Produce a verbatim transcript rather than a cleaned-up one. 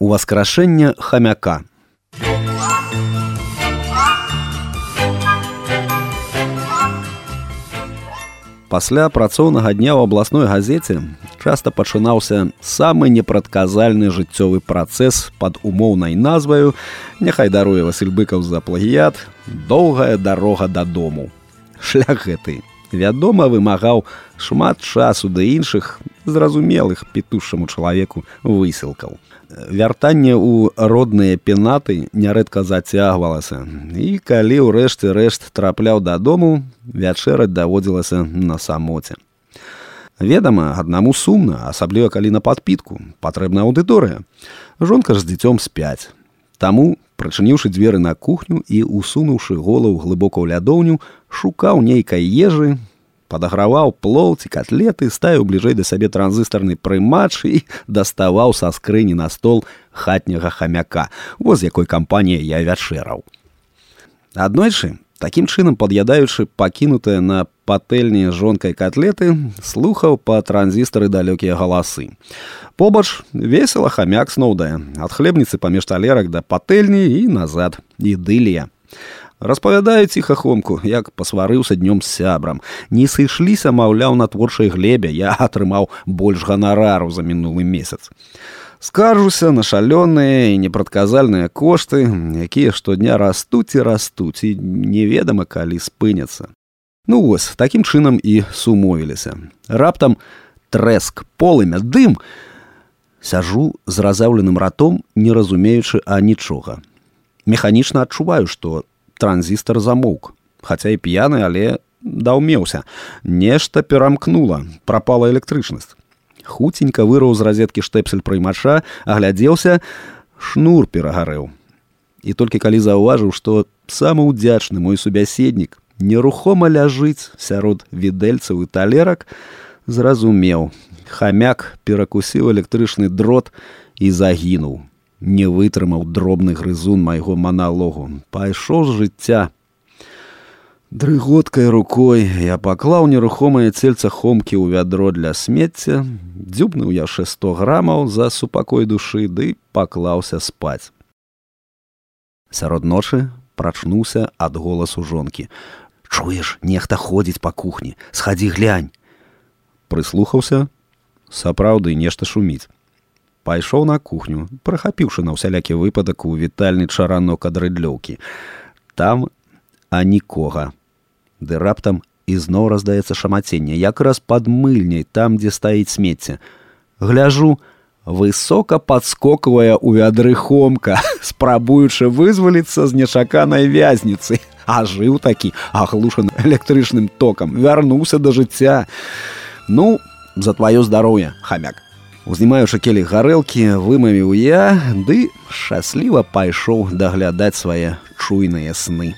Уваскрашэнне хамяка. Пасля працоўнага дня ў абласной газеце часта пачынаўся самы непрадказальны жыццёвы працэс пад умоўнай назваю, няхай даруе Васіль Быкаў за плагіят, «Доўгая дарога дадому». Шлях гэты, вядома, вымагаў шмат часу да іншых зразумелых пітушчаму чалавеку высілкаў. Вяртанне ў родныя пенаты нярэдка зацягвалася, і калі ўрэшце рэшт трапляў дадому, вячэраць даводзілася на самоце. Ведама, аднаму сумна, асабліва калі на падпітку, патрэбна аўдыторыя. Жонка ж з дзіцём спяць. Таму, прачыніўшы дзверы на кухню і усунуўшы голову глыбока ў лядоўню, шукаў нейкай ежы, падаграваў плоў ці катлеты, ставіў бліжэй да сябе транзыстарны прымач і даставаў са скрыні на стол хатняга хамяка, воз якой кампаніяй я вячэраў. Аднойчы, такім чынам пад'ядаючы пакінутыя на патэльні жонкай катлеты, слухаў па транзістары далёкія галасы. Побач весела хамяк сноўдае, ад хлебніцы паміж талерак да патэльні і назад. Ідылія. Распавядаю ціхахомку, як пасварыўся днём з сябрам. Не сышліся, маўляў, на творчай глебе, я атрымаў больш ганарару за мінулы месяц. Скаржуся на шалёныя і непрадказальныя кошты, якія штодня растуць і растуць, і неведама, калі спыняцца. Ну вось, такім чынам і сумовіліся. Раптам трэск, полымя, дым. Сяжу з разяўленым ратом, не разумеючы анічога. Механічна адчуваю, што транзістар замоўк, хаця і п'яны, але даўмеўся. Нешта перамкнула, прапала электрычнасць. Хуценька вырваў з разеткі штэпсель прыймача, аглядзеўся, шнур перагарэў. І толькі калі заўважыў, што самы ўдзячны мой субяседнік нерухома ляжыць сярод відэльцаў і талерак, зразумеў. Хамяк перакусіў электрычны дрот і загінуў. Не вытрымаў дробны грызун майго маналогу. Пайшоў з жыцця. Дрыготкай рукой я паклаў нерухомае цельца хомкі ў вядро для смецця, дзюбнуў яшчэ сто грамаў за супакой душы, ды паклаўся спаць. Сярод ночы прачнуўся ад голасу жонкі. «Чуеш, нехта ходзіць па кухні, схадзі глянь». Прыслухаўся, сапраўды нешта шуміць. Пайшоў на кухню, прахапіўшы на ўсялякі выпадак у вітальны чаранок ад рыдлёўкі. Там а нікога. Ды раптам ізноў раздаецца шамаценне, якраз пад мыльняй, там, дзе стаіць смецце. Гляжу, высока падскоквае ў вядры хомка, спрабуючы вызваліцца з нечаканай вязніцы. А жыў такі, аглушаны электрычным токам, вярнуўся да жыцця. Ну, за тваё здароўе, хамяк. Узнімаючы келіх гарэлкі, вымавіў я, ды шчасліва пайшоў даглядаць свае чуйныя сны.